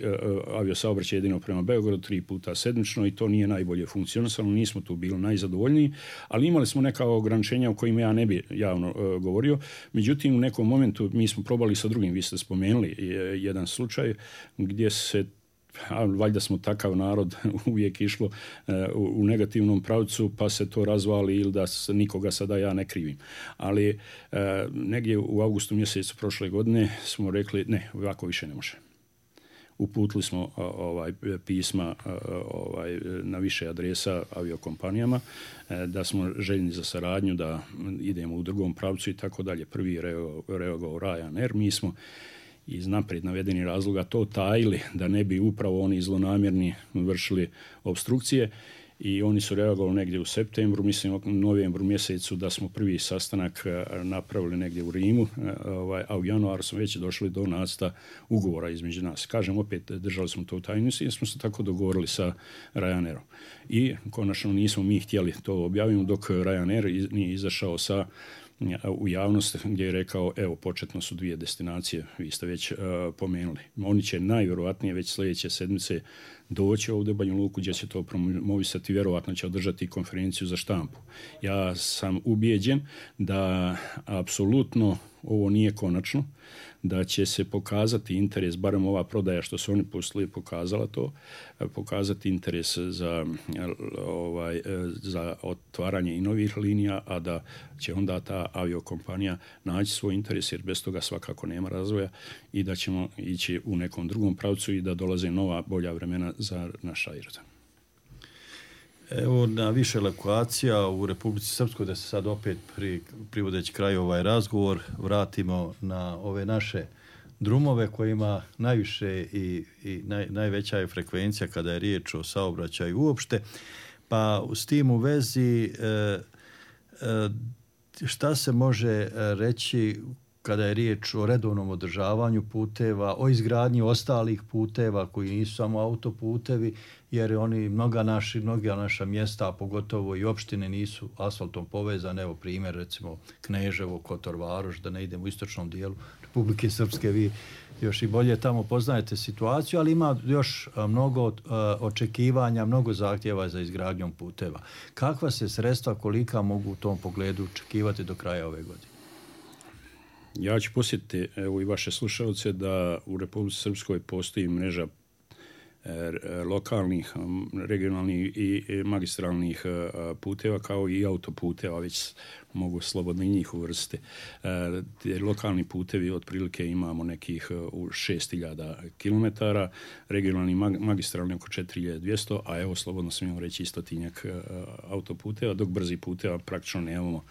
aviosaobraćaj jedino prema Beogradu 3 puta sedmično i to nije najbolje funkcionisalo, nismo tu bili najzadovoljniji, ali imali smo neka ograničenja o kojima ja ne bi javno govorio. Međutim, u nekom momentu mi smo probali sa drugim, vi ste spomenuli jedan slučaj gdje se valjda smo takav narod uvijek išlo u negativnom pravcu pa se to razvali ili da nikoga sada ja ne krivim. Ali negdje u avgustu mjesecu prošle godine smo rekli ne, ovako više ne može. Uputili smo pisma na više adresa aviokompanijama da smo željni za saradnju, da idemo u drugom pravcu i tako dalje. Prvi je reagovao Ryanair, mi smo iz naprijed navedenih razloga to tajili da ne bi upravo oni zlonamjerni vršili opstrukcije i oni su reagovali negdje u septembru, mislim u novembru mjesecu da smo prvi sastanak napravili negdje u Rimu, a u januaru smo već došli do nacrta ugovora između nas. Kažem, opet držali smo to u tajnosti jer smo se tako dogovorili sa Ryanairom. I konačno nismo mi htjeli to objaviti dok Ryanair nije izašao u javnost gdje je rekao, evo, početno su 2 destinacije, vi ste već pomenuli. Oni će najvjerojatnije već sljedeće sedmice doći ovdje u Banja Luku gdje će to promovisati, vjerojatno će održati konferenciju za štampu. Ja sam ubijeđen da apsolutno ovo nije konačno, da će se pokazati interes, barem ova prodaja što su oni poslije pokazala to, pokazati interes za otvaranje i novih linija, a da će onda ta aviokompanija naći svoj interes, jer bez toga svakako nema razvoja, i da ćemo ići u nekom drugom pravcu i da dolaze nova bolja vremena za naš aerodrom. Evo, na više lokacija u Republici Srpskoj, da se sad opet privodeći kraju ovaj razgovor vratimo na ove naše drumove kojima najviše i najveća je frekvencija kada je riječ o saobraćaju uopšte. Pa s tim u vezi šta se može reći kada je riječ o redovnom održavanju puteva, o izgradnji ostalih puteva koji nisu samo autoputevi, jer oni mnoga naša mjesta, a pogotovo i opštine, nisu asfaltom povezane. Evo primjer, recimo Kneževo, Kotor, Varoš, da ne idemo u istočnom dijelu Republike Srpske, vi još i bolje tamo poznajete situaciju, ali ima još mnogo očekivanja, mnogo zahtjeva za izgradnjom puteva. Kakva se sredstva, kolika mogu u tom pogledu očekivati do kraja ove godine? Ja ću posjetiti, evo, i vaše slušalce, da u Republici Srpskoj postoji mreža lokalnih, regionalnih i magistralnih puteva, kao i autoputeva, već mogu slobodno i njih uvrstiti. Lokalni putevi otprilike imamo nekih 6.000 km, regionalni magistralni oko 4.200, a evo slobodno smijemo reći i 100-tinjak autoputeva, dok brzi puteva praktično nemamo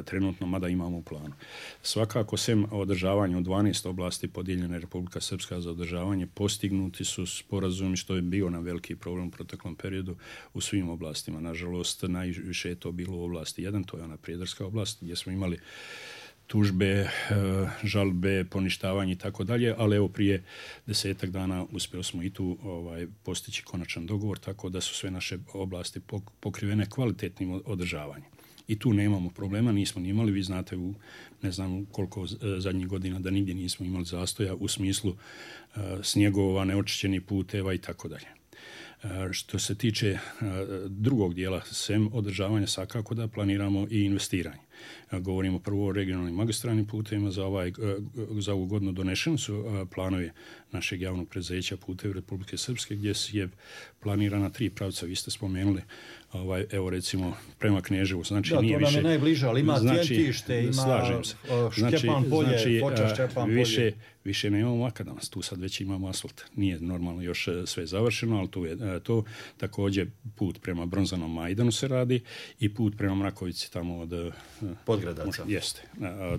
trenutno, mada imamo u planu. Svakako, sem održavanja u 12 oblasti podijeljene Republika Srpska za održavanje, postignuti su sporazumi, što je bio nam veliki problem u proteklom periodu u svim oblastima. Nažalost, najviše je to bilo u oblasti 1, to je ona prijedarska oblast, gdje smo imali tužbe, žalbe, poništavanje i tako dalje, ali evo prije 10 dana uspjeli smo i tu postići konačan dogovor, tako da su sve naše oblasti pokrivene kvalitetnim održavanjem. I tu nemamo problema, nismo ni imali, vi znate u ne znam koliko zadnjih godina da nigdje nismo imali zastoja u smislu snjegova, neočišćenih puteva i tako dalje. Što se tiče drugog dijela, sem održavanja, svakako da planiramo i investiranje. Govorimo prvo o regionalnim magistralnim putevima. Za ovu godinu donešeni su planovi našeg javnog preduzeća Putevi Republike Srpske, gdje je planirana 3 pravca. Vi ste spomenuli, evo recimo prema Kneževu. Znači, da, nije to nam više, je najbliže, ali ima Tjentište, ima Šćepan polje, Foča Šćepan polje. Više nemamo makadamac, tu sad već imamo asfalt. Nije normalno još sve završeno, ali tu je to. Također put prema Bronzanom Majdanu se radi i put prema Mrakovici tamo od Podgradaca. Jeste.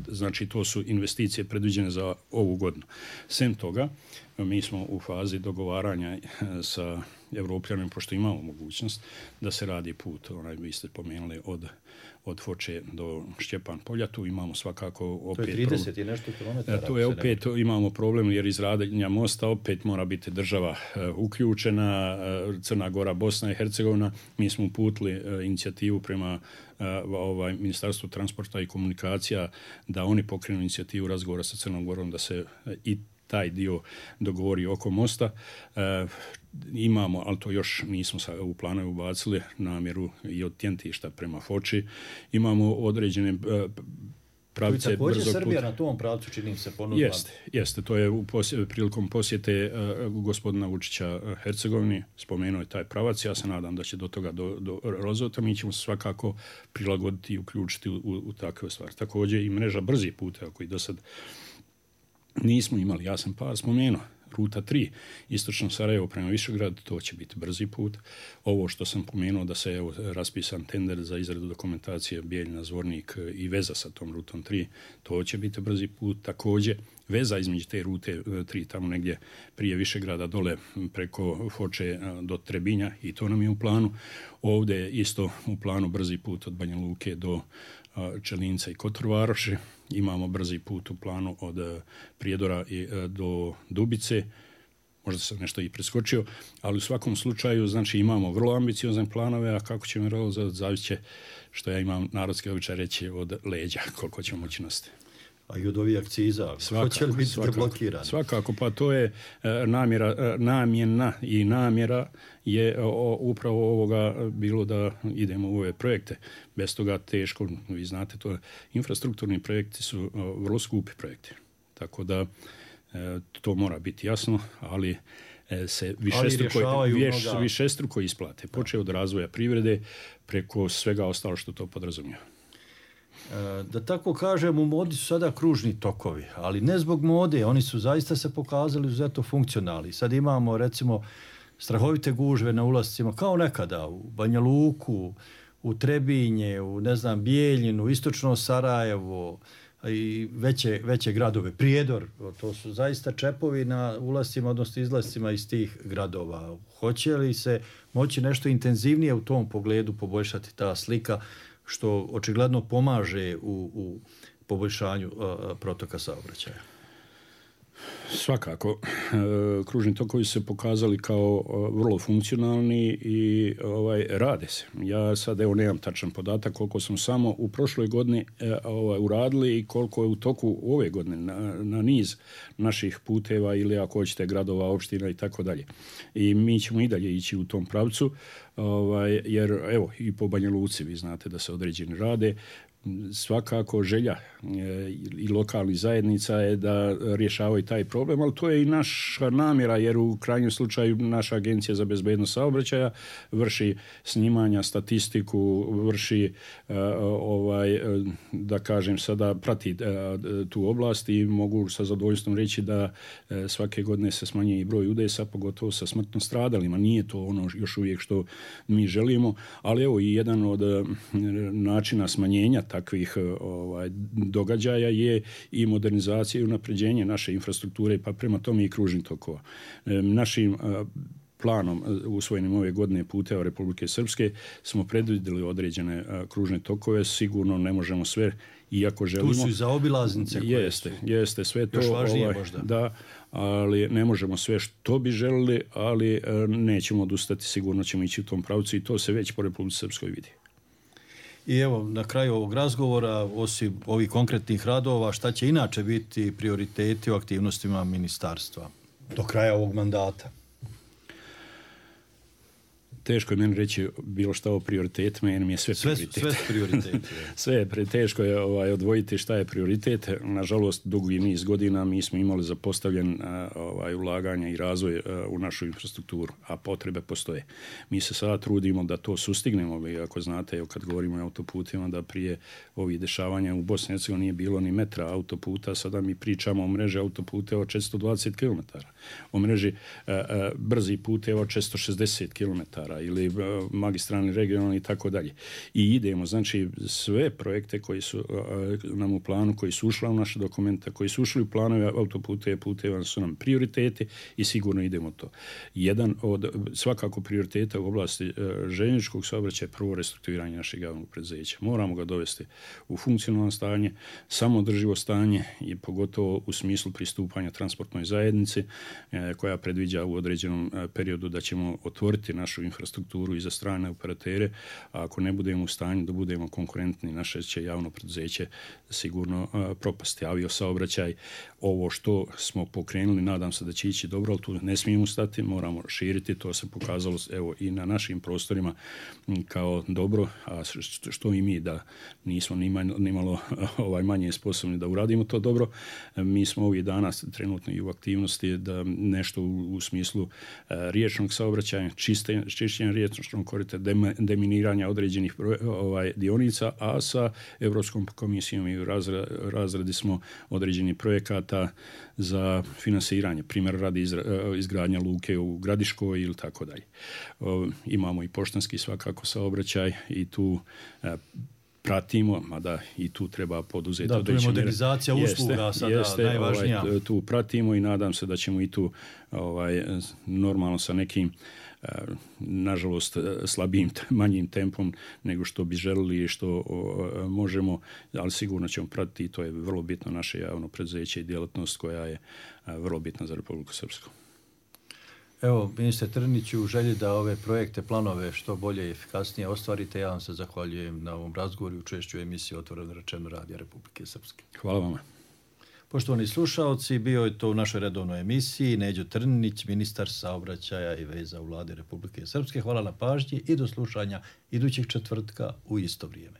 Znači, to su investicije predviđene za ovu godinu. Sem toga, mi smo u fazi dogovaranja sa Evropljanima, pošto imamo mogućnost da se radi put, vi ste pomenuli, od Foče do Šćepan polja. Tu imamo svakako opet... To je 30 i nešto kilometara. Tu je opet imamo problem, jer izradnja mosta opet mora biti država uključena, Crna Gora, Bosna i Hercegovina. Mi smo uputili inicijativu prema Ministarstvu transporta i komunikacija da oni pokrenu inicijativu razgovora sa Crnom Gorom da se i taj dio dogovori oko mosta. Imamo, ali to još nismo u planu ubacili, namjeru i od Tjentišta prema Foči. Imamo određene pravce brzog puta. Također Srbija na tom pravcu, čini se, ponudila. Jeste. To je prilikom posjete gospodina Vučića Hercegovini, spomenuo je taj pravac. Ja se nadam da će do toga do rozvota. Mi ćemo se svakako prilagoditi i uključiti u takve stvari. Također i mreža brzih puteva koji do sad nismo imali. Ja sam par spomenuo. ruta 3, istočno Sarajevo prema Višegradu, to će biti brzi put. Ovo što sam pomenuo da se raspisan tender za izradu dokumentacije Bijeljina, Zvornik i veza sa tom rutom 3, to će biti brzi put. Također, veza između te rute 3, tamo negdje prije Višegrada dole preko Foče do Trebinja, i to nam je u planu. Ovdje je isto u planu brzi put od Banja Luke do Čelinca i Kotor-Varoši. Imamo brzi put u planu od Prijedora do Dubice. Možda sam nešto i preskočio, ali u svakom slučaju znači imamo vrlo ambiciozne planove, a kako ćemo realizovati zavist će, što ja imam narodski običaj reći, od leđa, koliko ćemo moći nositi. A i od ovih akciza, hoće li biti deblokirani? Svakako, pa to je namjena i namjera je upravo ovoga bilo da idemo u ove projekte. Bez toga teško, vi znate, to infrastrukturni projekti su vrlo skupi projekti. Tako da to mora biti jasno, ali se višestruko isplate. Počeo od razvoja privrede preko svega ostalo što to podrazumijeva. Da tako kažem, u modi su sada kružni tokovi, ali ne zbog mode, oni su zaista se pokazali izuzetno funkcionalni. Sad imamo recimo strahovite gužve na ulascima, kao nekada u Banja Luku, u Trebinje, u Bijeljinu, istočno Sarajevo i veće gradove, Prijedor, to su zaista čepovi na ulascima, odnosno izlascima iz tih gradova. Hoće li se moći nešto intenzivnije u tom pogledu poboljšati ta slika, što očigledno pomaže u poboljšanju protoka saobraćaja? Svakako, kružni tokovi se pokazali kao vrlo funkcionalni i rade se. Ja sad nemam tačan podatak koliko smo samo u prošloj godini uradili i koliko je u toku ove godine na niz naših puteva ili ako hoćete gradova, opština i tako dalje. I mi ćemo i dalje ići u tom pravcu, jer evo i po Banja Luci vi znate da se određeni rade. Svakako želja i lokalnih zajednica je da rješavaju taj problem, ali to je i naša namjera, jer u krajnjem slučaju naša Agencija za bezbednost saobraćaja vrši snimanja, statistiku, vrši da kažem sada prati tu oblast i mogu sa zadovoljstvom reći da svake godine se smanjuje i broj udesa, pogotovo sa smrtno stradalima. Nije to ono još uvijek što mi želimo, ali evo i jedan od načina smanjenja takvih događaja je i modernizacija i unapređenje naše infrastrukture, pa prema tome i kružnih tokova. Našim planom usvojenim ove godine puteva Republike Srpske smo predvidjeli određene kružne tokove. Sigurno ne možemo sve, iako želimo. Tu su i zaobilaznice koje jeste sve to. Još važnije možda. Da, ali ne možemo sve što bi želili, ali nećemo odustati, sigurno ćemo ići u tom pravcu i to se već po Republici Srpskoj vidi. I evo, na kraju ovog razgovora, osim ovih konkretnih radova, šta će inače biti prioriteti u aktivnostima ministarstva do kraja ovog mandata? Teško je meni reći bilo šta o prioritetima, jer mi je sve prioritet. Sve prioriteti. Sve je teško je odvojiti šta je prioritet. Nažalost, dugi niz godina mi smo imali zapostavljen ulaganja i razvoj u našu infrastrukturu, a potrebe postoje. Mi se sada trudimo da to sustignemo, ako znate, kad govorimo o autoputima, da prije ovih dešavanja u Bosni i Hercegovini nije bilo ni metra autoputa, sada mi pričamo o mreži autoputeva od 420 km, o mreži brzi puteva od 460 km, ili magistralni, regionalni i tako dalje. I idemo, znači sve projekte koji su nam u planu, koji su ušli u naše dokumente, koji su ušli u planove autoputeva su nam prioriteti i sigurno idemo to. Jedan od svakako prioriteta u oblasti željezničkog saobraćaja je prvo restrukturiranje našeg javnog preduzeća. Moramo ga dovesti u funkcionalno stanje, samoodrživo stanje i pogotovo u smislu pristupanja transportnoj zajednici koja predviđa u određenom periodu da ćemo otvoriti našu infrastrukturu i za strane operatere, a ako ne budemo u stanju da budemo konkurentni, naše će javno preduzeće sigurno propasti. Aviosaobraćaj, ovo što smo pokrenuli, nadam se da će ići dobro, ali tu ne smijemo stati, moramo širiti, to se pokazalo evo i na našim prostorima kao dobro, a što i mi da nismo nimalo manje sposobni da uradimo to dobro. Mi smo ovih dana trenutno i u aktivnosti da nešto u smislu riječnog saobraćaja, čišćenja čišćenja riječnog korita, deminiranja određenih dionica, a sa Europskom komisijom i u razradi smo određenih projekata za finansiranje, primjer radi izgradnja luke u Gradiškoj ili tako dalje. Imamo i poštanski svakako saobraćaj i tu pratimo, mada i tu treba poduzeti. Da, tu je modernizacija usluga sada najvažnija. Tu pratimo i nadam se da ćemo i tu normalno sa nekim nažalost slabijim, manjim tempom nego što bi želili i što možemo, ali sigurno ćemo pratiti i to je vrlo bitno naše javno preduzeće i djelatnost koja je vrlo bitna za Republiku Srpsku. Evo, ministre Trniniću, u želji da ove projekte, planove što bolje i efikasnije ostvarite, ja vam se zahvaljujem na ovom razgovoru i učešću u emisiji Otvoreno rečeno Radija Republike Srpske. Hvala vama. Poštovani slušaoci, bio je to u našoj redovnoj emisiji Neđo Trninić, ministar saobraćaja i veza u Vladi Republike Srpske. Hvala na pažnji i do slušanja idućeg četvrtka u isto vrijeme.